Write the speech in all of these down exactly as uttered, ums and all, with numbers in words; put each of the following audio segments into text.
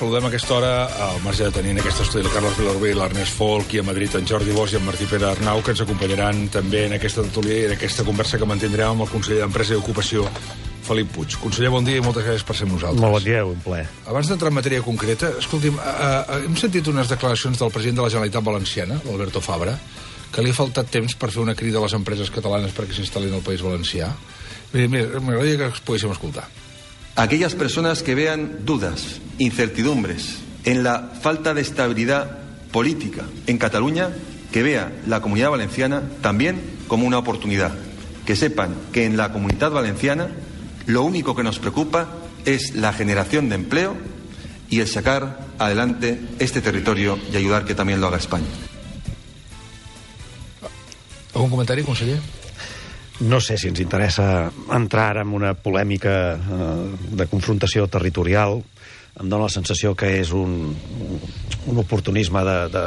saludem a aquesta hora, al marge de tenir en aquest estudi el Carles Vilarrubí, l'Ernest Folk, i a Madrid en Jordi Bosch i en Martí Pere Arnau, que ens acompanyaran també en aquesta tertúlia i en aquesta conversa que mantindrem amb el conseller d'Empresa i Ocupació, Felip Puig. Conseller, bon dia i moltes gràcies per ser amb nosaltres. Molt bon dia, un plaer. Abans d'entrar en matèria concreta, escolti'm, eh, hem sentit unes declaracions del president de la Generalitat Valenciana, l'Alberto Fabra, que li ha faltat temps per fer una crida a les empreses catalanes perquè s'instal·lin al País Valencià. Mira, mira, m'agradaria que els poguéssim escoltar. Aquellas personas que vean dudas, incertidumbres en la falta de estabilidad política en Cataluña, que vea la Comunidad Valenciana también como una oportunidad. Que sepan que en la Comunidad Valenciana lo único que nos preocupa es la generación de empleo y el sacar adelante este territorio y ayudar que también lo haga España. ¿Algún comentario, conseller? No sé si ens interessa entrar en una polèmica eh, de confrontació territorial. Em dóna la sensació que és un, un oportunisme de, de,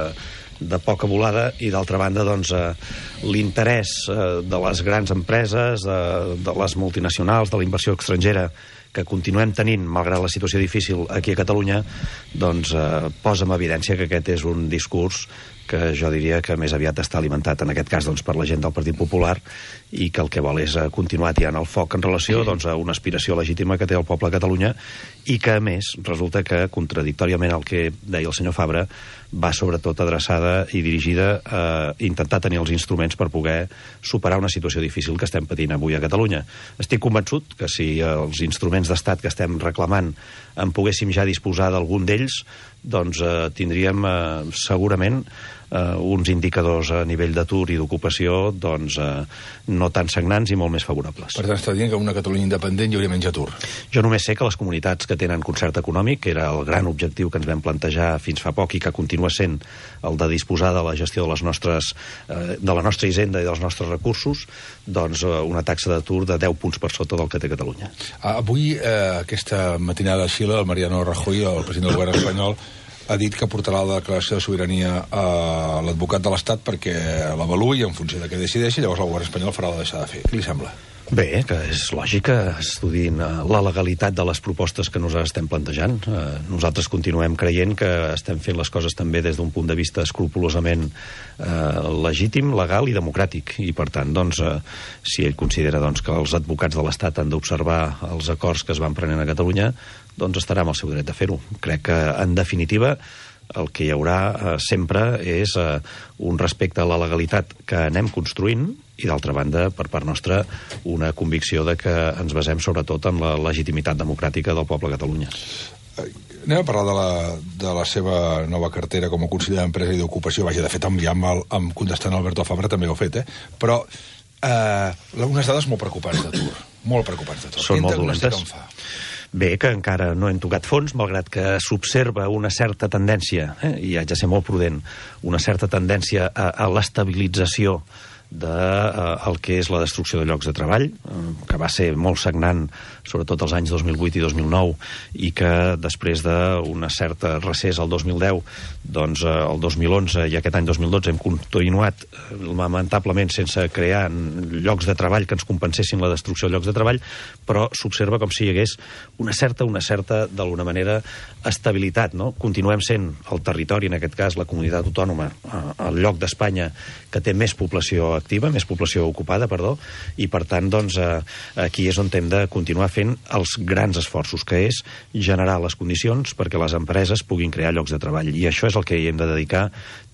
de poca volada i, d'altra banda, doncs, eh, l'interès eh, de les grans empreses, de, de les multinacionals, de la inversió estrangera que continuem tenint, malgrat la situació difícil aquí a Catalunya, doncs eh, posa en evidència que aquest és un discurs que jo diria que més aviat està alimentat, en aquest cas, doncs, per la gent del Partit Popular, i que el que vol és continuar tirant el foc en relació doncs, a una aspiració legítima que té el poble de Catalunya, i que, a més, resulta que, contradictòriament al que deia el senyor Fabra, va sobretot adreçada i dirigida a intentar tenir els instruments per poder superar una situació difícil que estem patint avui a Catalunya. Estic convençut que si els instruments d'estat que estem reclamant en poguéssim ja disposar d'algun d'ells, doncs eh, tindríem eh, segurament Uh, uns indicadors a nivell d'atur i d'ocupació doncs, uh, no tan sagnants i molt més favorables. Per tant, està dient que en una Catalunya independent hi hauria menys atur. Jo només sé que les comunitats que tenen concert econòmic, que era el gran objectiu que ens vam plantejar fins fa poc i que continua sent el de disposar de la gestió de les nostres, uh, de la nostra hisenda i dels nostres recursos, doncs uh, una taxa d'atur de deu punts per sota del que té Catalunya. Ah, avui, eh, aquesta matinada a Xile, el Mariano Rajoy, el president del govern espanyol, ha dit que portarà la declaració de sobirania a l'advocat de l'Estat perquè l'avaluï en funció de què decideixi, llavors el govern espanyol farà la deixar de fer. Què li sembla? Bé, que és lògic que estudin la legalitat de les propostes que nosaltres estem plantejant. Nosaltres continuem creient que estem fent les coses també des d'un punt de vista escrupolosament eh, legítim, legal i democràtic. I, per tant, doncs, eh, si ell considera doncs, que els advocats de l'Estat han d'observar els acords que es van prenent a Catalunya, doncs estarà amb el seu dret de fer-ho. Crec que, en definitiva, el que hi haurà eh, sempre és eh, un respecte a la legalitat que anem construint i, d'altra banda, per part nostra, una convicció de que ens basem sobretot en la legitimitat democràtica del poble de Catalunya. Anem a parlar de la, de la seva nova cartera com a conseller d'Empresa i d'Ocupació. Vaja, de fet, amb, ja amb, el, amb contestant a Alberto Fabra també ho he fet, eh? Però eh, unes dades molt preocupants d'atur. Molt preocupants d'atur. Són molt dolentes. Bé, que encara no hem tocat fons, malgrat que s'observa una certa tendència, eh, i haig de ser molt prudent, una certa tendència a, a l'estabilització de eh, el que és la destrucció de llocs de treball, eh, que va ser molt sagnant, sobretot els anys dos mil vuit i dos mil nou, i que després d'una certa recés al dos mil deu, doncs eh, el dos mil onze i aquest any dos mil dotze hem continuat eh, lamentablement sense crear llocs de treball que ens compensessin la destrucció de llocs de treball, però s'observa com si hi hagués una certa, una certa, d'alguna manera, estabilitat, no? Continuem sent el territori, en aquest cas la comunitat autònoma, eh, el lloc d'Espanya que té més població activa, més població ocupada, perdó, i per tant, doncs, eh, aquí és on hem de continuar fent els grans esforços, que és generar les condicions perquè les empreses puguin crear llocs de treball. I això és el que hi hem de dedicar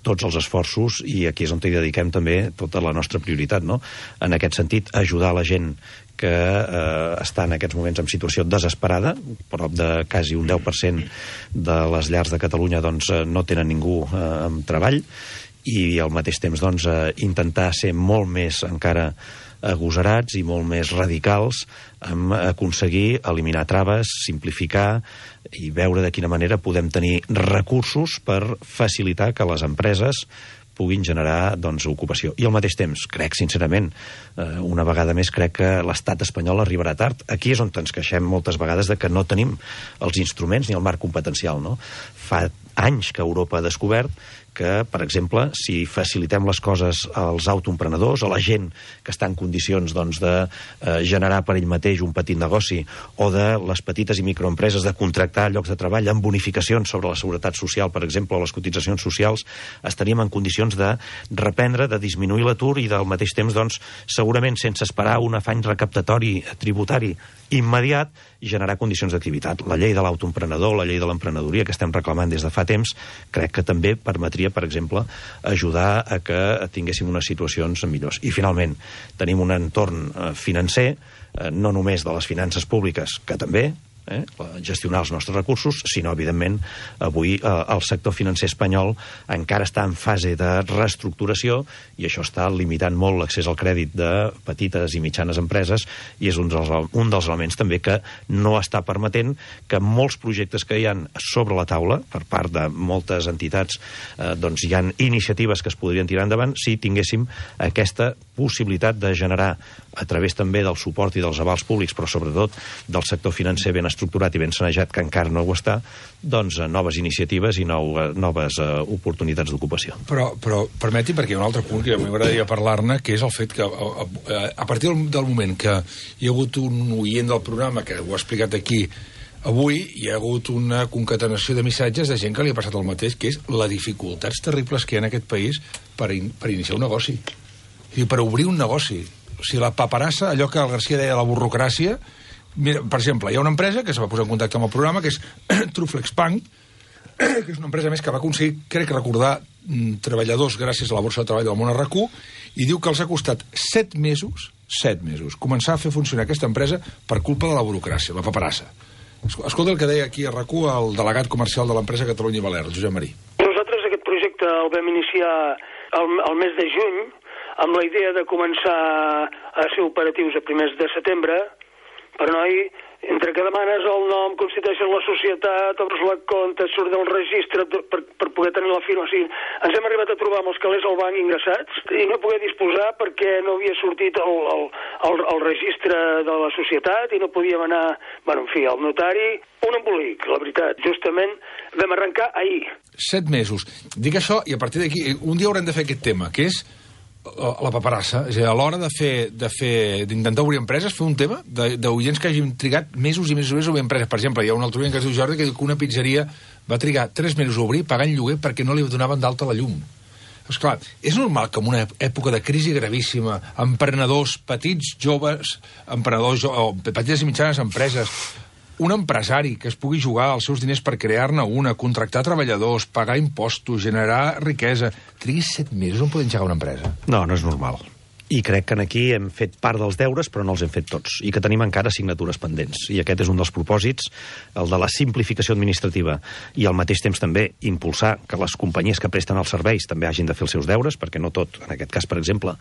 tots els esforços, i aquí és on hi dediquem també tota la nostra prioritat, no? En aquest sentit, ajudar la gent que eh, està en aquests moments en situació desesperada, prop de quasi un deu per cent de les llars de Catalunya doncs, no tenen ningú eh, amb treball, i al mateix temps doncs, eh, intentar ser molt més encara agosarats i molt més radicals en aconseguir eliminar traves, simplificar i veure de quina manera podem tenir recursos per facilitar que les empreses puguin generar doncs, ocupació. I al mateix temps, crec sincerament, eh, una vegada més crec que l'estat espanyol arribarà tard. Aquí és on ens queixem moltes vegades de que no tenim els instruments ni el marc competencial, no? Fa anys que Europa ha descobert que, per exemple, si facilitem les coses als autoemprenedors, a la gent que està en condicions doncs, de eh, generar per ell mateix un petit negoci, o de les petites i microempreses de contractar llocs de treball amb bonificacions sobre la seguretat social, per exemple, o les cotitzacions socials, estaríem en condicions de reprendre, de disminuir l'atur i del mateix temps, doncs, segurament sense esperar un afany recaptatori tributari immediat, generar condicions d'activitat. La llei de l'autoemprenedor, la llei de l'emprenedoria que estem reclamant des de fa temps, crec que també permetria, per exemple, ajudar a que tinguéssim unes situacions millors. I, finalment, tenim un entorn financer, no només de les finances públiques, que també, eh, gestionar els nostres recursos, sinó, evidentment, avui eh, el sector financer espanyol encara està en fase de reestructuració i això està limitant molt l'accés al crèdit de petites i mitjanes empreses i és un dels, un dels elements també que no està permetent que molts projectes que hi han sobre la taula, per part de moltes entitats, eh, doncs hi ha iniciatives que es podrien tirar endavant si tinguéssim aquesta possibilitat de generar, a través també del suport i dels avals públics, però sobretot del sector financer ben estructurat i ben sanejat, que encara no ho està, doncs noves iniciatives i nou, noves uh, oportunitats d'ocupació. Però, però permeti, perquè hi ha un altre punt que m'agradaria parlar-ne, que és el fet que a, a, a partir del, del moment que hi ha hagut un oient del programa que ho ha explicat aquí, avui hi ha hagut una concatenació de missatges de gent que li ha passat el mateix, que és les dificultats terribles que hi ha en aquest país per, in, per iniciar un negoci. I per obrir un negoci. O sigui, la paperassa, allò que el García deia la burocràcia. Mira, per exemple, hi ha una empresa que es va posar en contacte amb el programa, que és Truflexbank, que és una empresa més que va aconseguir, crec recordar, treballadors gràcies a la borsa de treball del món R Q, i diu que els ha costat set mesos, set mesos, començar a fer funcionar aquesta empresa per culpa de la burocràcia, la paperassa. Escolta el que deia aquí a R Q el delegat comercial de l'empresa Catalunya i Balears, Josep Marí. Nosaltres aquest projecte el vam iniciar el, el mes de juny, amb la idea de començar a ser operatius a primers de setembre, però noi, entre que demanes el nom, constitueixes la societat, obres la compte, surt del registre per, per poder tenir la firma. O sigui, ens hem arribat a trobar amb els calés al banc ingressats i no poder disposar perquè no havia sortit el, el, el, el registre de la societat i no podíem anar, bueno, en fi, al notari. Un embolic, la veritat. Justament vam arrencar ahir. Set mesos. Dic això i a partir d'aquí, un dia haurem de fer aquest tema, que és la paperassa. És a dir, a l'hora de fer, de fer, d'intentar obrir empreses, fer un tema d'oients que hagin trigat mesos i mesos i mesos a obrir empreses. Per exemple, hi ha un altre oient que es diu Jordi que diu que una pizzeria va trigar tres mesos a obrir pagant lloguer perquè no li donaven d'alta la llum. Esclar, és normal que en una època de crisi gravíssima, emprenedors, petits, joves, emprenedors, o petites i mitjanes empreses, un empresari que es pugui jugar els seus diners per crear-ne una, contractar treballadors, pagar impostos, generar riquesa, trigui set mesos on poder engegar una empresa? No, no és normal. I crec que aquí hem fet part dels deures, però no els hem fet tots, i que tenim encara assignatures pendents. I aquest és un dels propòsits, el de la simplificació administrativa, i al mateix temps també impulsar que les companyies que presten els serveis també hagin de fer els seus deures, perquè no tot, en aquest cas, per exemple,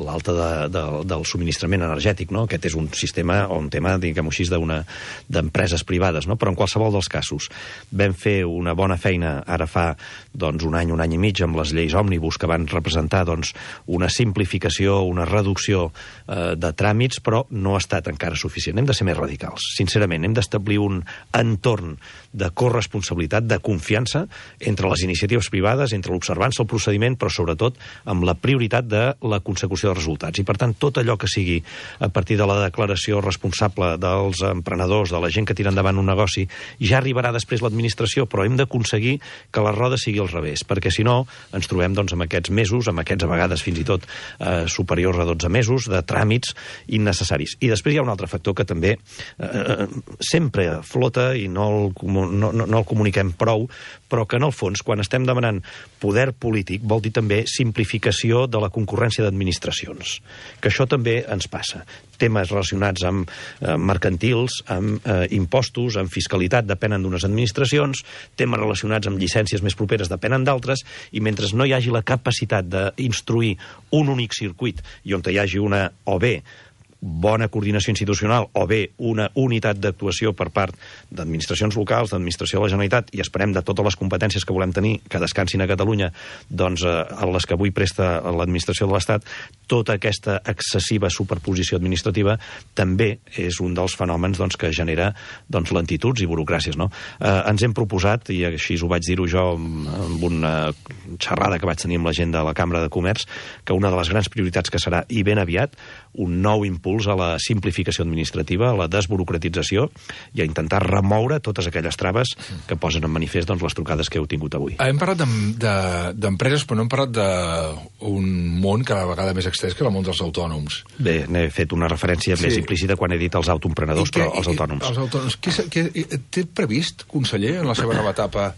l'alta de, de, del subministrament energètic, no? Aquest és un sistema o un tema, diguem-ho així, d'una d'empreses privades, no? Però en qualsevol dels casos vam fer una bona feina ara fa doncs, un any, un any i mig, amb les lleis òmnibus que van representar doncs, una simplificació, una una reducció eh, de tràmits, però no ha estat encara suficient. Hem de ser més radicals. Sincerament, hem d'establir un entorn de corresponsabilitat, de confiança entre les iniciatives privades, entre l'observança, el procediment, però sobretot amb la prioritat de la consecució de resultats. I, per tant, tot allò que sigui a partir de la declaració responsable dels emprenedors, de la gent que tira endavant un negoci, ja arribarà després l'administració, però hem d'aconseguir que la roda sigui al revés, perquè si no ens trobem doncs, amb aquests mesos, amb aquests a vegades fins i tot eh, superiors a dotze mesos de tràmits innecessaris. I després hi ha un altre factor que també eh, sempre flota i no el, no, no, no el comuniquem prou, però que en el fons, quan estem demanant poder polític, vol dir també simplificació de la concurrència d'administracions. Que això també ens passa. Temes relacionats amb eh, mercantils, amb eh, impostos, amb fiscalitat, depenen d'unes administracions, temes relacionats amb llicències més properes depenen d'altres, i mentre no hi hagi la capacitat d'instruir un únic circuit i on hi hagi una, o bé, bona coordinació institucional o bé una unitat d'actuació per part d'administracions locals, d'administració de la Generalitat, i esperem de totes les competències que volem tenir que descansin a Catalunya, doncs eh, a les que avui presta l'administració de l'Estat, tota aquesta excessiva superposició administrativa també és un dels fenòmens doncs, que genera doncs, lentituds i burocràcies. No? Eh, ens hem proposat, i així ho vaig dir-ho jo amb una xerrada que vaig tenir amb la gent de la Cambra de Comerç, que una de les grans prioritats que serà, i ben aviat, un nou impuls a la simplificació administrativa, a la desburocratització i a intentar remoure totes aquelles traves que posen en manifest doncs, les trucades que heu tingut avui. Hem parlat d'empreses, però no hem parlat d'un món cada vegada més extens que el món dels autònoms. Bé, n'he fet una referència sí. més implícita quan he dit els autoemprenedors, però els autònoms. Els autònoms. Què, què, té previst, conseller, en la seva nova etapa,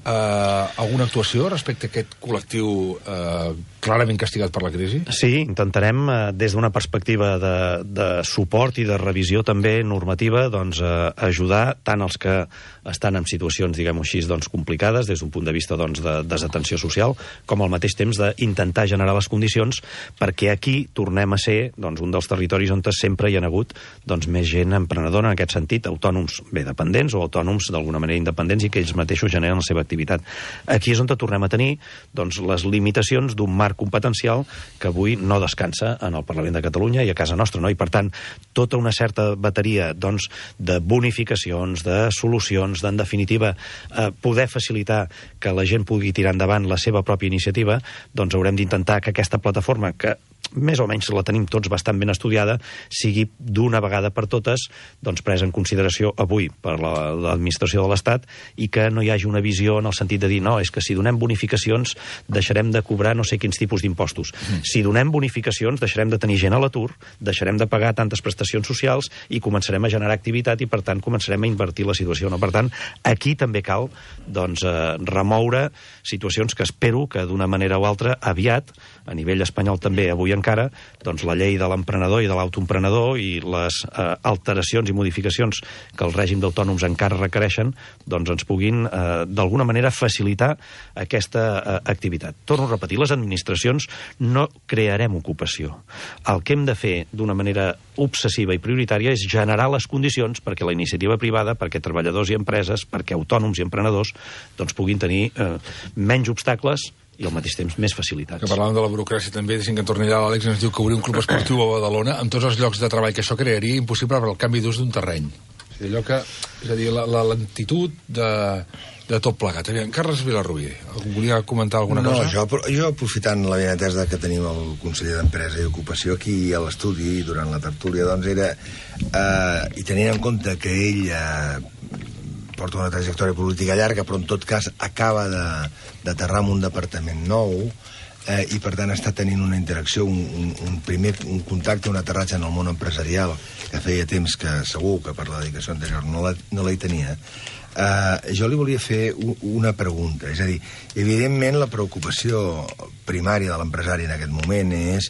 eh, alguna actuació respecte a aquest col·lectiu eh, clarament castigat per la crisi? Sí, intentarem, eh, des d'una perspectiva de, de suport i de revisió també normativa, doncs, eh, ajudar tant els que estan en situacions, diguem-ho així, doncs, complicades, des d'un punt de vista doncs, de desatenció social, com al mateix temps d'intentar generar les condicions perquè aquí tornem a ser doncs, un dels territoris on sempre hi ha hagut doncs, més gent emprenedora en aquest sentit, autònoms bé dependents o autònoms d'alguna manera independents i que ells mateixos generen la seva activitat. Aquí és on tornem a tenir doncs, les limitacions d'un marc competencial que avui no descansa en el Parlament de Catalunya i a casa nostra, no? I per tant, tota una certa bateria doncs, de bonificacions, de solucions, d'en definitiva eh, poder facilitar que la gent pugui tirar endavant la seva pròpia iniciativa, doncs haurem d'intentar que aquesta plataforma, que més o menys la tenim tots bastant ben estudiada, sigui d'una vegada per totes doncs, presa en consideració avui per l'administració de l'Estat i que no hi hagi una visió en el sentit de dir no, és que si donem bonificacions deixarem de cobrar no sé quins tipus d'impostos. Mm. Si donem bonificacions deixarem de tenir gent a l'atur, deixarem de pagar tantes prestacions socials i començarem a generar activitat i per tant començarem a invertir la situació. No? Per tant, aquí també cal doncs, eh, remoure situacions que espero que d'una manera o altra aviat, a nivell espanyol també avui encara, doncs la llei de l'emprenedor i de l'autoemprenedor i les eh, alteracions i modificacions que el règim d'autònoms encara requereixen, doncs ens puguin eh, d'alguna manera facilitar aquesta eh, activitat. Torno a repetir, les administracions no crearem ocupació. El que hem de fer d'una manera obsessiva i prioritària és generar les condicions perquè la iniciativa privada, perquè treballadors i empreses, perquè autònoms i emprenedors doncs puguin tenir eh, menys obstacles i al mateix temps més facilitats. Que parlàvem de la burocràcia també, deixem que en torni allà l'Àlex, ens diu que obrir un club esportiu a Badalona amb tots els llocs de treball que això crearia impossible per al canvi d'ús d'un terreny. És allò que, és a dir, la, la lentitud de, de tot plegat. Aviam, Carles Vilarrubí, volia comentar alguna no, cosa? Jo, jo aprofitant la benetesa que tenim el conseller d'Empresa i Ocupació aquí a l'estudi durant la tertúlia, doncs era, eh, i tenint en compte que ell eh, porta una trajectòria política llarga, però en tot cas acaba d'aterrar en un departament nou eh, i per tant està tenint una interacció, un, un, un primer un contacte, un aterratge en el món empresarial que feia temps que segur que per la dedicació anterior no la, no la hi tenia. Eh, jo li volia fer un, una pregunta, és a dir, evidentment la preocupació primària de l'empresari en aquest moment és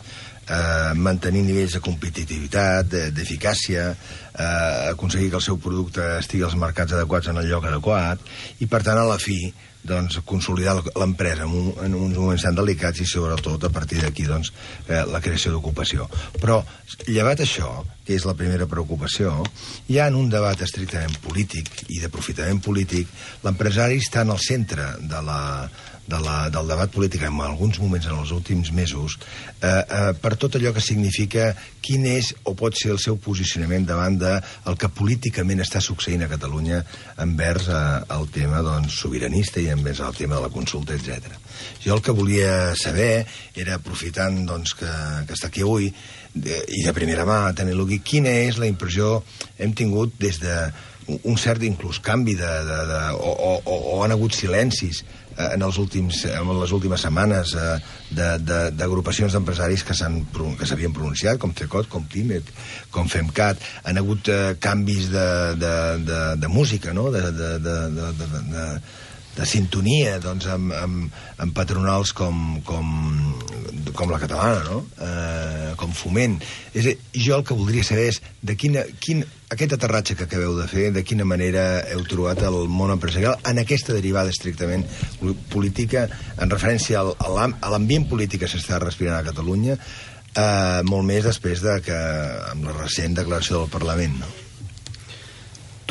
eh, mantenir nivells de competitivitat, d'eficàcia, eh, aconseguir que el seu producte estigui als mercats adequats en el lloc adequat i per tant a la fi doncs, consolidar l'empresa en, un, en uns moments tan delicats i sobretot a partir d'aquí doncs, eh, la creació d'ocupació. Però llevat això, que és la primera preocupació, ja en un debat estrictament polític i d'aprofitament polític, l'empresari està en el centre de la, de la, del debat polític en alguns moments en els últims mesos eh, eh, per tot allò que significa quin és o pot ser el seu posicionament davant del que políticament està succeint a Catalunya envers eh, el tema doncs, sobiranista i envers el tema de la consulta, etcètera. Jo el que volia saber era, aprofitant doncs, que, que està aquí avui de, i de primera mà tenir-lo aquí, quina és la impressió hem tingut des de un cert inclús canvi de, de, de, o, o, o han hagut silencis eh, en, els últims, en les últimes setmanes eh, d'agrupacions de, d'empresaris que s'havien pronunciat, com CECOT, com PIMEC, com FEMCAT. Han hagut eh, canvis de, de, de, de música, no? de, de, de, de, de, de, de sintonia doncs, amb, amb, amb patronals com, com, com la catalana, no? eh, com Foment. És a dir, jo el que voldria saber és de quina, quin, aquest aterratge que acabeu de fer, de quina manera heu trobat el món empresarial en aquesta derivada estrictament política, en referència al, a l'ambient polític que s'està respirant a Catalunya, eh, molt més després de que, amb la recent declaració del Parlament, no?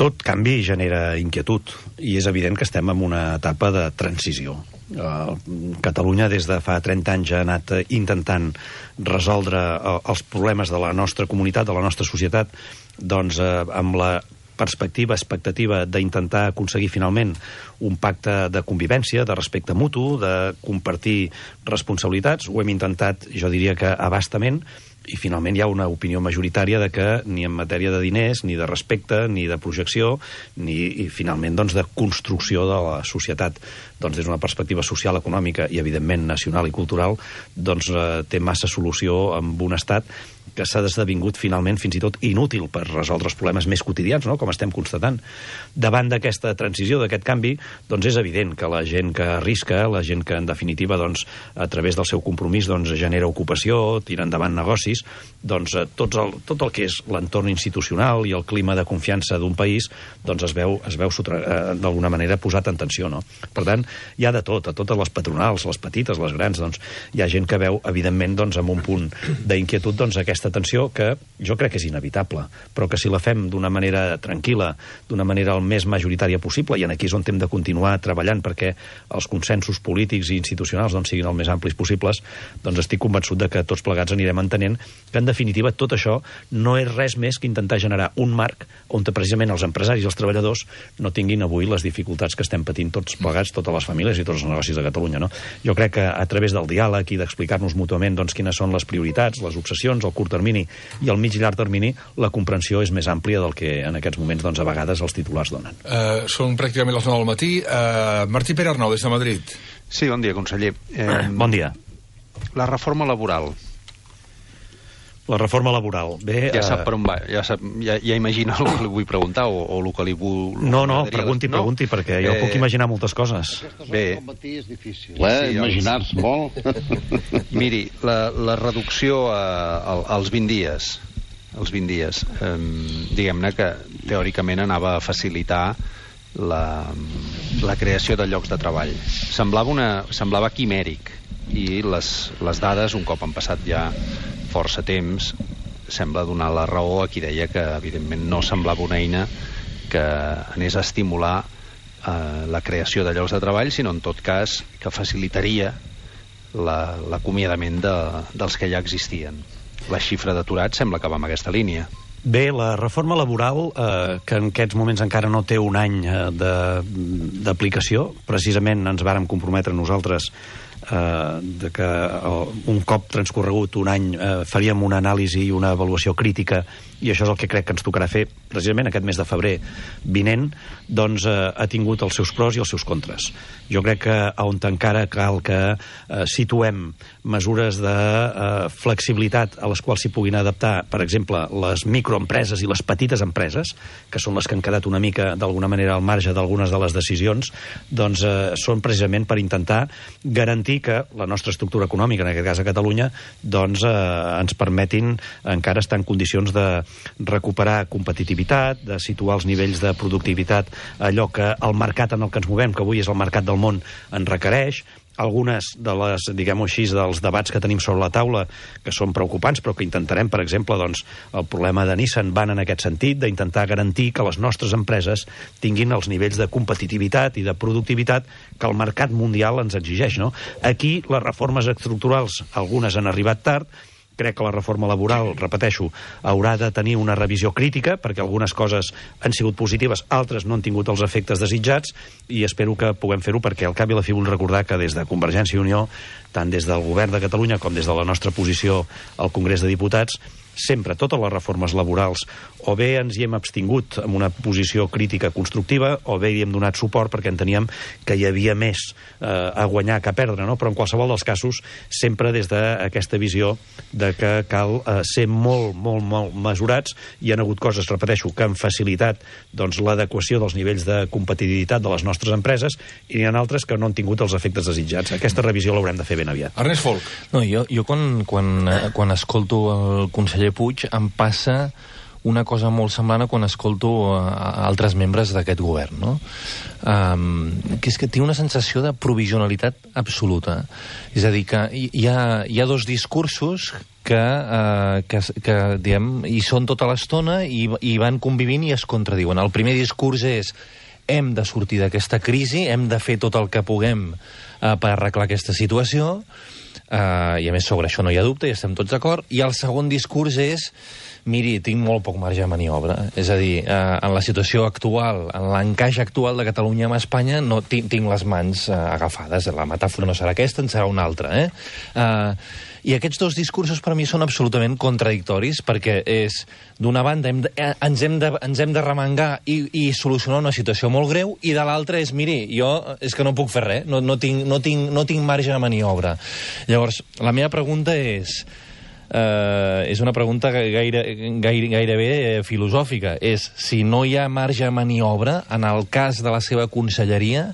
Tot canvi genera inquietud i és evident que estem en una etapa de transició. Uh, Catalunya des de fa trenta anys ha anat intentant resoldre uh, els problemes de la nostra comunitat, de la nostra societat, doncs uh, amb la perspectiva, expectativa d'intentar aconseguir finalment un pacte de convivència, de respecte mutu, de compartir responsabilitats. Ho hem intentat, jo diria que abastament, i finalment hi ha una opinió majoritària de que ni en matèria de diners, ni de respecte, ni de projecció, ni i finalment doncs, de construcció de la societat doncs, des d'una perspectiva social, econòmica i evidentment nacional i cultural, doncs eh, té massa solució amb un estat que s'ha esdevingut finalment fins i tot inútil per resoldre els problemes més quotidians, no? Com estem constatant. Davant d'aquesta transició, d'aquest canvi, doncs és evident que la gent que arrisca, la gent que en definitiva doncs, a través del seu compromís doncs, genera ocupació, tira endavant negocis, doncs tot el, tot el que és l'entorn institucional i el clima de confiança d'un país doncs es veu, es veu eh, d'alguna manera posat en tensió, no? Per tant, hi ha de tot, a totes les patronals, les petites, les grans, doncs hi ha gent que veu, evidentment, doncs, amb un punt d'inquietud, doncs aquesta tensió que jo crec que és inevitable, però que si la fem d'una manera tranquil·la, d'una manera el més majoritària possible, i en aquí és on hem de continuar treballant perquè els consensos polítics i institucionals doncs, siguin el més amplis possibles, doncs estic convençut de que tots plegats anirem entenent que en definitiva tot això no és res més que intentar generar un marc on precisament els empresaris i els treballadors no tinguin avui les dificultats que estem patint tots plegats, totes les famílies i tots els negocis de Catalunya, no? Jo crec que a través del diàleg i d'explicar-nos mútuament doncs, quines són les prioritats, les obsessions, el curt termini i al mig i llarg termini, la comprensió és més àmplia del que en aquests moments doncs, a vegades els titulars donen. Uh, són pràcticament les nou del matí. Uh, Martí Pere Arnau, des de Madrid. Sí, bon dia, conseller. Eh, bon dia. La reforma laboral. La reforma laboral. Bé, ja sap per on va, ja, sap, ja, ja imagina el que li vull preguntar o, o el que li vull... No, no, pregunti, no? pregunti, perquè jo eh... puc imaginar moltes coses. Bé. És difícil. Clar, sí, imaginar-se els... molt. Miri, la, la reducció a, a, als vint dies, els vint dies, eh, diguem-ne que teòricament anava a facilitar la, la creació de llocs de treball. Semblava, una, semblava quimèric i les, les dades, un cop han passat ja força temps, sembla donar la raó a qui deia que evidentment no semblava una eina que anés a estimular eh, la creació de llocs de treball, sinó en tot cas que facilitaria l'acomiadament la, de, dels que ja existien. La xifra d'aturats sembla que va en aquesta línia. Bé, la reforma laboral, eh, que en aquests moments encara no té un any eh, d'aplicació, precisament ens vàrem comprometre nosaltres eh, de que eh, un cop transcorregut un any eh, faríem una anàlisi i una avaluació crítica, i això és el que crec que ens tocarà fer precisament aquest mes de febrer vinent, doncs eh, ha tingut els seus pros i els seus contres. Jo crec que on encara cal que eh, situem mesures de eh, flexibilitat a les quals s'hi puguin adaptar, per exemple, les microempreses i les petites empreses, que són les que han quedat una mica, d'alguna manera, al marge d'algunes de les decisions, doncs eh, són precisament per intentar garantir que la nostra estructura econòmica, en aquest cas a Catalunya, doncs eh, ens permetin encara estar en condicions de recuperar competitivitat, de situar els nivells de productivitat, allò que el mercat en el que ens movem, que avui és el mercat del món, en requereix. Algunes de les, diguem-ho així, dels debats que tenim sobre la taula, que són preocupants, però que intentarem, per exemple, doncs, el problema de Nissan van en aquest sentit, d'intentar garantir que les nostres empreses tinguin els nivells de competitivitat i de productivitat que el mercat mundial ens exigeix, no? Aquí les reformes estructurals, algunes han arribat tard. Crec que la reforma laboral, repeteixo, haurà de tenir una revisió crítica, perquè algunes coses han sigut positives, altres no han tingut els efectes desitjats, i espero que puguem fer-ho, perquè al cap i a la fi vull recordar que des de Convergència i Unió, tant des del govern de Catalunya com des de la nostra posició al Congrés de Diputats, sempre totes les reformes laborals o bé ens hi hem abstingut amb una posició crítica constructiva o bé hi hem donat suport perquè enteníem que hi havia més eh, a guanyar que a perdre, no? Però en qualsevol dels casos sempre des d'aquesta visió de que cal eh, ser molt, molt, molt mesurats. Hi ha hagut coses, repeteixo, que han facilitat doncs, l'adequació dels nivells de competitivitat de les nostres empreses i n'hi ha altres que no han tingut els efectes desitjats. Aquesta revisió l'haurem de fer ben aviat. Ernest Folk. No, jo, jo quan, quan, quan escolto el conseller Puig em passa una cosa molt semblant a quan escolto a altres membres d'aquest govern, no? Um, que és que tinc una sensació de provisionalitat absoluta. És a dir, que hi ha, hi ha dos discursos que, eh, que, que diguem, hi són tota l'estona i, i van convivint i es contradiuen. El primer discurs és hem de sortir d'aquesta crisi, hem de fer tot el que puguem eh, per arreglar aquesta situació, eh, i a més sobre això no hi ha dubte i estem tots d'acord, i el segon discurs és miri, tinc molt poc marge de maniobra. És a dir, eh, en la situació actual, en l'encaix actual de Catalunya amb Espanya, no tinc, tinc les mans eh, agafades. La metàfora no serà aquesta, en serà una altra. Eh? Eh, I aquests dos discursos per mi són absolutament contradictoris, perquè és, d'una banda, hem de, eh, ens, hem de, ens hem de remengar i, i solucionar una situació molt greu, i de l'altra és, miri, jo és que no puc fer res, no, no, tinc, no, tinc, no tinc marge de maniobra. Llavors, la meva pregunta és... Uh, és una pregunta gaire, gaire, gairebé eh, filosòfica. És si no hi ha marge de maniobra en el cas de la seva conselleria,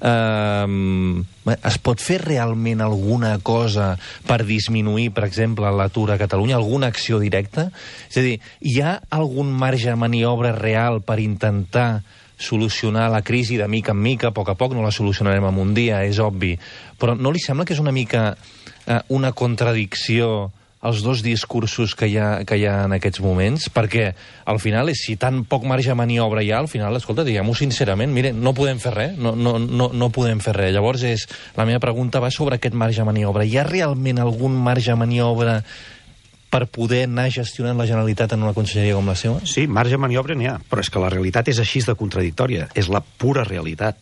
uh, es pot fer realment alguna cosa per disminuir, per exemple, l'atur a Catalunya, alguna acció directa? És a dir, hi ha algun marge de maniobra real per intentar solucionar la crisi de mica en mica, a poc a poc? No la solucionarem en un dia, és obvi, però no li sembla que és una mica uh, una contradicció els dos discursos que hi ha, que hi ha en aquests moments? Perquè al final, és, si tan poc marge de maniobra hi ha, al final, escolta, diguem-ho sincerament, mire, no podem fer res, no, no, no, no podem fer res. Llavors, és, la meva pregunta va sobre aquest marge de maniobra. Hi ha realment algun marge de maniobra per poder anar gestionant la Generalitat en una conselleria com la seva? Sí, marge de maniobra n'hi ha, però és que la realitat és així de contradictòria. És la pura realitat.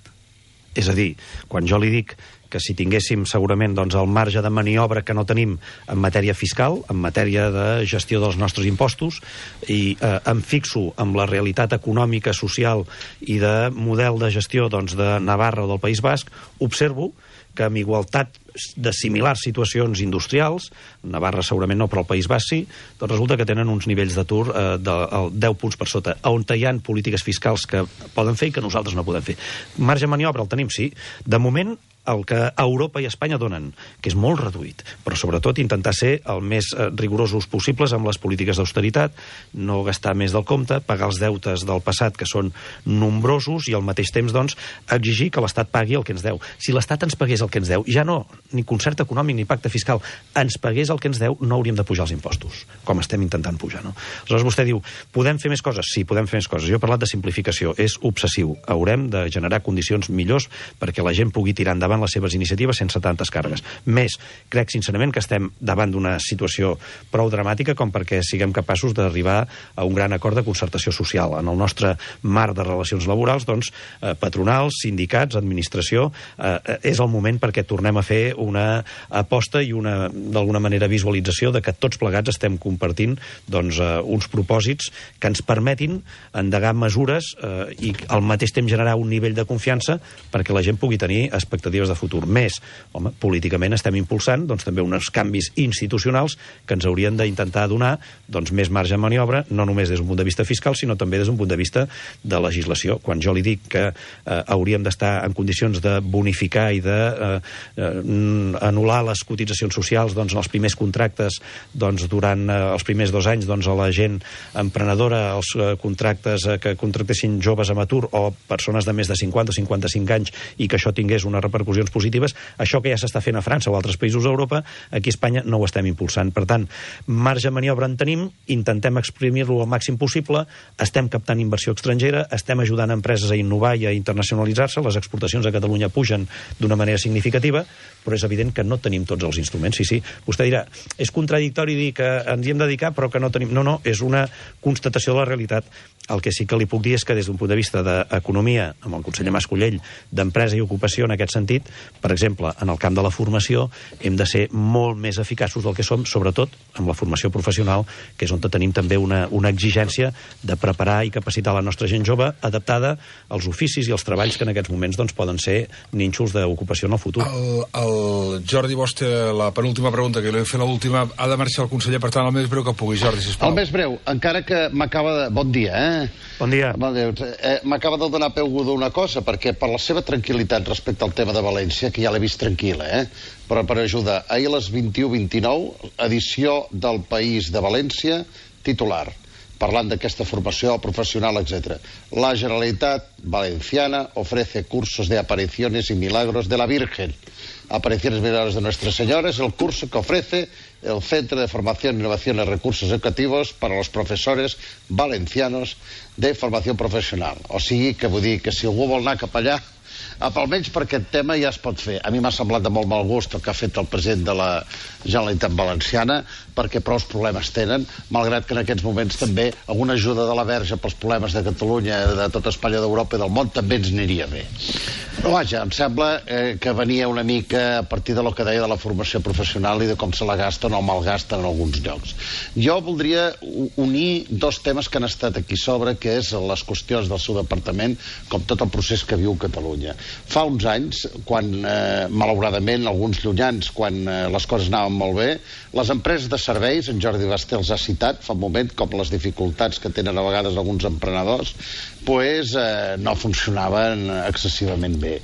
És a dir, quan jo li dic que si tinguéssim segurament doncs, el marge de maniobra que no tenim en matèria fiscal, en matèria de gestió dels nostres impostos, i eh, em fixo amb la realitat econòmica, social i de model de gestió doncs, de Navarra o del País Basc, observo que amb igualtat de similars situacions industrials, Navarra segurament no, però el País Basc sí, doncs resulta que tenen uns nivells d'atur eh, de deu punts per sota, on hi ha polítiques fiscals que poden fer i que nosaltres no podem fer. Marge de maniobra el tenim, sí. De moment, el que Europa i Espanya donen, que és molt reduït, però sobretot intentar ser el més eh, rigorosos possibles amb les polítiques d'austeritat, no gastar més del compte, pagar els deutes del passat, que són nombrosos, i al mateix temps, doncs, exigir que l'Estat pagui el que ens deu. Si l'Estat ens pagués el que ens deu, ja no, ni concert econòmic ni pacte fiscal, ens pagués el que ens deu, no hauríem de pujar els impostos, com estem intentant pujar, no? Aleshores vostè diu, podem fer més coses? Sí, podem fer més coses. Jo he parlat de simplificació, és obsessiu. Haurem de generar condicions millors perquè la gent pugui tirar endavant les seves iniciatives sense tantes càrregues. Més, crec sincerament que estem davant d'una situació prou dramàtica com perquè siguem capaços d'arribar a un gran acord de concertació social. En el nostre marc de relacions laborals, doncs, eh, patronals, sindicats, administració, eh, és el moment perquè tornem a fer una aposta i una, d'alguna manera, visualització de que tots plegats estem compartint doncs, eh, uns propòsits que ens permetin endegar mesures eh, i al mateix temps generar un nivell de confiança perquè la gent pugui tenir expectatives de futur. Més, home, políticament estem impulsant doncs, també uns canvis institucionals que ens haurien d'intentar donar doncs, més marge de maniobra, no només des d'un punt de vista fiscal, sinó també des d'un punt de vista de legislació. Quan jo li dic que eh, hauríem d'estar en condicions de bonificar i de eh, eh, anul·lar les cotitzacions socials doncs, en els primers contractes doncs, durant eh, els primers dos anys doncs, a la gent emprenedora, els eh, contractes eh, que contractessin joves amb atur o persones de més de cinquanta o cinquanta-cinc anys i que això tingués una repercussió positives, això que ja s'està fent a França o altres països d'Europa, aquí a Espanya no ho estem impulsant. Per tant, marge de maniobra en tenim, intentem exprimir-lo al màxim possible, estem captant inversió estrangera, estem ajudant empreses a innovar i a internacionalitzar-se, les exportacions a Catalunya pugen d'una manera significativa, però és evident que no tenim tots els instruments. Sí, sí, vostè dirà, és contradictori dir que ens hi hem de dedicar però que no tenim... No, no, és una constatació de la realitat. El que sí que li puc dir és que des d'un punt de vista d'economia, amb el conseller Mas-Colell, d'empresa i ocupació en aquest sentit, per exemple, en el camp de la formació, hem de ser molt més eficaços del que som, sobretot amb la formació professional, que és on tenim també una, una exigència de preparar i capacitar la nostra gent jove adaptada als oficis i als treballs que en aquests moments doncs, poden ser nínxols d'ocupació en el futur. El, el Jordi Bosch té la penúltima pregunta, que li he fet l'última. Ha de marxar el conseller, per tant, el més breu que pugui. Jordi, sisplau. El més breu, encara que m'acaba de... Bon dia, eh? Bon dia. Bon dia. Eh, m'acaba de donar peu d'una cosa, perquè per la seva tranquil·litat respecte al tema de València, que ja l'he vist tranquil·la, eh? Però per ajudar, ahir a les vint-i-u vint-i-nou, edició del País de València, titular: parlant d'aquesta formació professional, etcétera. La Generalitat Valenciana ofrece cursos de apariciones y milagros de la Virgen. Apariciones y milagros de Nuestra Señora es el curso que ofrece el Centro de Formación, Innovación y Recursos Educativos para los profesores valencianos de formació professional. O sigui, que vull dir que si algú vol anar cap allà, almenys per aquest tema ja es pot fer. A mi m'ha semblat de molt mal gust el que ha fet el president de la Generalitat Valenciana, perquè prou problemes tenen, malgrat que en aquests moments també alguna ajuda de la Verge pels problemes de Catalunya, de tota Espanya, d'Europa i del món també ens aniria bé. Però vaja, em sembla eh, que venia una mica a partir de lo que deia de la formació professional i de com se la gasten o malgasten en alguns llocs. Jo voldria unir dos temes que han estat aquí sobre, que és les qüestions del seu departament, com tot el procés que viu Catalunya. Fa uns anys, quan, eh, malauradament, alguns llunyans, quan eh, les coses anaven molt bé, les empreses de serveis, en Jordi Basté els ha citat fa un moment, com les dificultats que tenen a vegades alguns emprenedors, pues, eh, no funcionaven excessivament bé.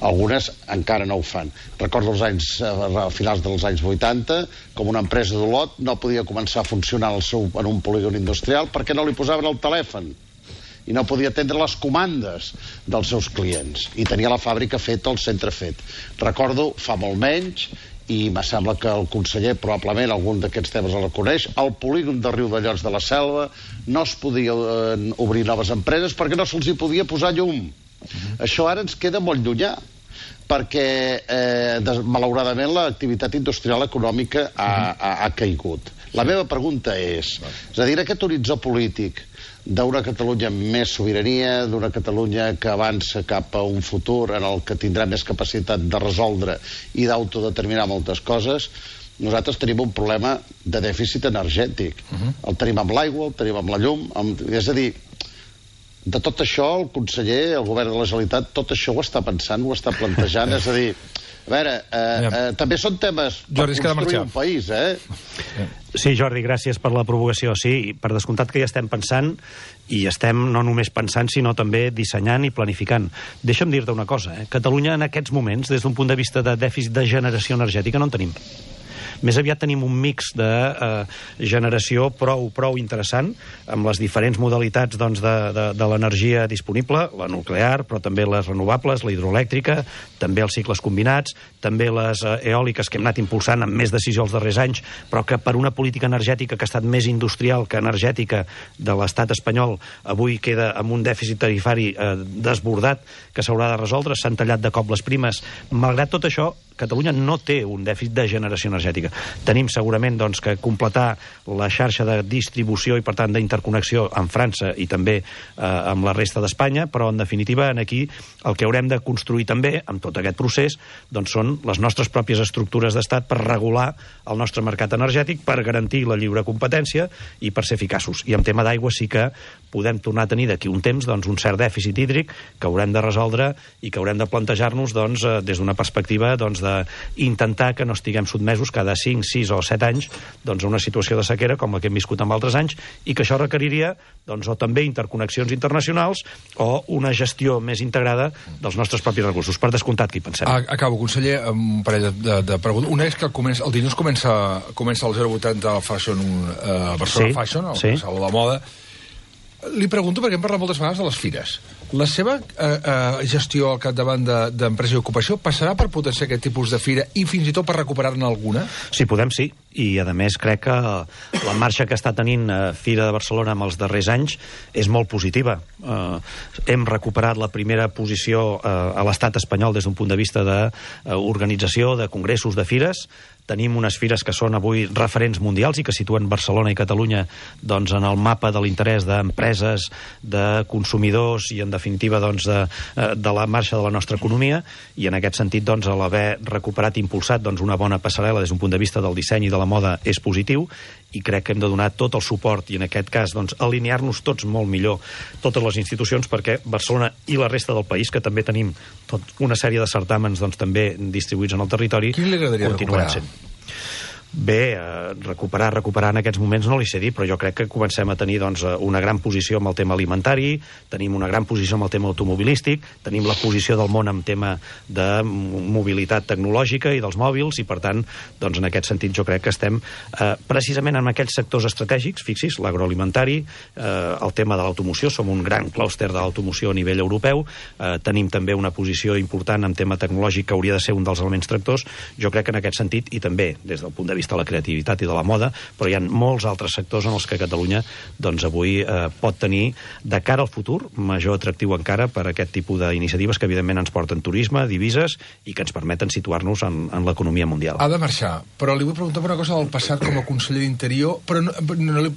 Algunes encara no ho fan. Recordo els anys, a finals dels anys vuitanta, com una empresa d'Olot no podia començar a funcionar en, el seu, en un polígon industrial perquè no li posaven el telèfon i no podia atendre les comandes dels seus clients. I tenia la fàbrica feta, el centre fet. Recordo, fa molt menys, i me sembla que el conseller probablement algun d'aquests temes el coneix, al polígon de Riudellots de la Selva no es podia eh, obrir noves empreses perquè no se'ls hi podia posar llum. Uh-huh. Això ara ens queda molt llunyà, perquè eh, des, malauradament l'activitat industrial econòmica ha, ha, ha caigut. La meva pregunta és, és a dir, aquest horitzó polític d'una Catalunya amb més sobirania, d'una Catalunya que avança cap a un futur en el que tindrà més capacitat de resoldre i d'autodeterminar moltes coses, nosaltres tenim un problema de dèficit energètic. Uh-huh. El tenim amb l'aigua, el tenim amb la llum, amb... és a dir, de tot això el conseller, el govern de la Generalitat, tot això ho està pensant, ho està plantejant, és a dir... A veure, eh, eh, també són temes per Jordi, construir un país, eh? Sí, Jordi, gràcies per la provocació. Sí, per descomptat que hi estem pensant, i estem no només pensant, sinó també dissenyant i planificant. Deixa'm dir-te una cosa, eh? Catalunya en aquests moments, des d'un punt de vista de dèficit de generació energètica, no en tenim. Més aviat tenim un mix de eh, generació prou, prou interessant, amb les diferents modalitats doncs, de, de, de l'energia disponible, la nuclear, però també les renovables, la hidroelèctrica, també els cicles combinats, també les eh, eòliques que hem anat impulsant amb més decisió els darrers anys, però que per una política energètica que ha estat més industrial que energètica de l'estat espanyol, avui queda amb un dèficit tarifari eh, desbordat que s'haurà de resoldre, s'han tallat de cop les primes. Malgrat tot això, Catalunya no té un dèficit de generació energètica. Tenim segurament doncs, que completar la xarxa de distribució i, per tant, d'interconnexió amb França i també eh, amb la resta d'Espanya, però, en definitiva, en aquí el que haurem de construir també, amb tot aquest procés, doncs, són les nostres pròpies estructures d'estat per regular el nostre mercat energètic, per garantir la lliure competència i per ser eficaços. I en tema d'aigua sí que podem tornar a tenir d'aquí un temps doncs, un cert dèficit hídric que haurem de resoldre i que haurem de plantejar-nos doncs, des d'una perspectiva doncs, d'intentar que no estiguem sotmesos cada cinc, sis o set anys doncs, a una situació de sequera com la que hem viscut en altres anys i que això requeriria doncs, o també interconnexions internacionals o una gestió més integrada dels nostres propis recursos. Per descomptat, que hi pensem. Acabo, conseller, amb un parell de, de preguntes. Una és que comença, el dilluns comença, comença el zero vuitanta al Fashion, uh, Barcelona sí, Fashion, el sí. Saló de moda. Li pregunto, perquè hem parlat moltes vegades de les fires. La seva eh, eh, gestió al capdavant d'empresa i ocupació passarà per potenciar aquest tipus de fira i fins i tot per recuperar-ne alguna? Si podem, sí. I, a més, crec que la marxa que està tenint eh, Fira de Barcelona en els darrers anys és molt positiva. Eh, hem recuperat la primera posició eh, a l'estat espanyol des d'un punt de vista d'organització, de, de congressos, de fires. Tenim unes fires que són avui referents mundials i que situen Barcelona i Catalunya doncs, en el mapa de l'interès d'empreses, de consumidors i, en definitiva, doncs, de, de la marxa de la nostra economia. I, en aquest sentit, doncs, l'haver recuperat i impulsat doncs, una bona passarel·la des d'un punt de vista del disseny i de la moda és positiu i crec que hem de donar tot el suport i, en aquest cas, doncs, alinear-nos tots molt millor, totes les institucions, perquè Barcelona i la resta del país, que també tenim tot una sèrie de certàmens doncs, també distribuïts en el territori, quin li agradaria recuperar? Sent. Bé, eh, recuperar, recuperar en aquests moments no li sé dir, però jo crec que comencem a tenir doncs, una gran posició amb el tema alimentari, tenim una gran posició amb el tema automobilístic, tenim la posició del món amb tema de mobilitat tecnològica i dels mòbils, i per tant, doncs, en aquest sentit jo crec que estem eh, precisament en aquells sectors estratègics, fixis, l'agroalimentari, eh, el tema de l'automoció, som un gran clúster de l'automoció a nivell europeu, eh, tenim també una posició important en tema tecnològic que hauria de ser un dels elements tractors, jo crec que en aquest sentit, i també des del punt de vista de la creativitat i de la moda, però hi ha molts altres sectors en els que Catalunya doncs, avui eh, pot tenir, de cara al futur, major atractiu encara per aquest tipus d'iniciatives que evidentment ens porten turisme, divises i que ens permeten situar-nos en, en l'economia mundial. Ha de marxar, però li vull preguntar per una cosa del passat com a conseller d'Interior, però no, no,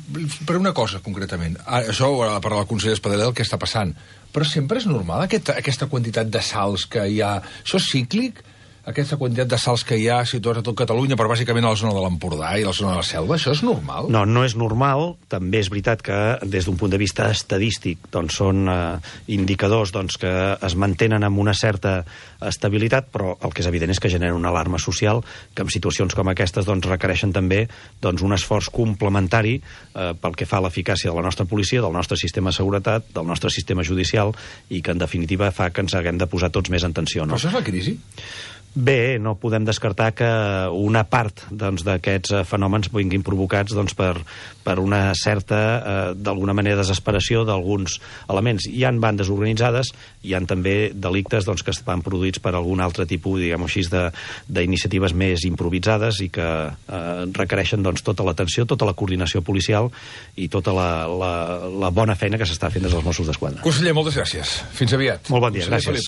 per una cosa concretament. Ah, això ho ha de parlar el conseller Espadaler, el que està passant. Però sempre és normal aquesta, aquesta quantitat de salts que hi ha? Això és cíclic? Aquesta quantitat de salts que hi ha situats a tot Catalunya, però bàsicament a la zona de l'Empordà i a la zona de la Selva, això és normal? No, no és normal. També és veritat que des d'un punt de vista estadístic doncs, són eh, indicadors doncs, que es mantenen amb una certa estabilitat, però el que és evident és que genera una alarma social que en situacions com aquestes doncs, requereixen també doncs, un esforç complementari eh, pel que fa a l'eficàcia de la nostra policia, del nostre sistema de seguretat, del nostre sistema judicial, i que en definitiva fa que ens haguem de posar tots més en tensió. No? Però això és la crisi? Bé, no podem descartar que una part doncs, d'aquests doncs, fenòmens vinguin provocats doncs, per, per una certa, eh, d'alguna manera, desesperació d'alguns elements. Hi ha bandes organitzades, hi ha també delictes doncs, que estan produïts per algun altre tipus, diguem-ho així, d'iniciatives més improvisades i que eh, requereixen doncs, tota l'atenció, tota la coordinació policial i tota la, la, la bona feina que s'està fent des dels Mossos d'Esquadra. Conseller, moltes gràcies. Fins aviat. Molt bon dia, gràcies.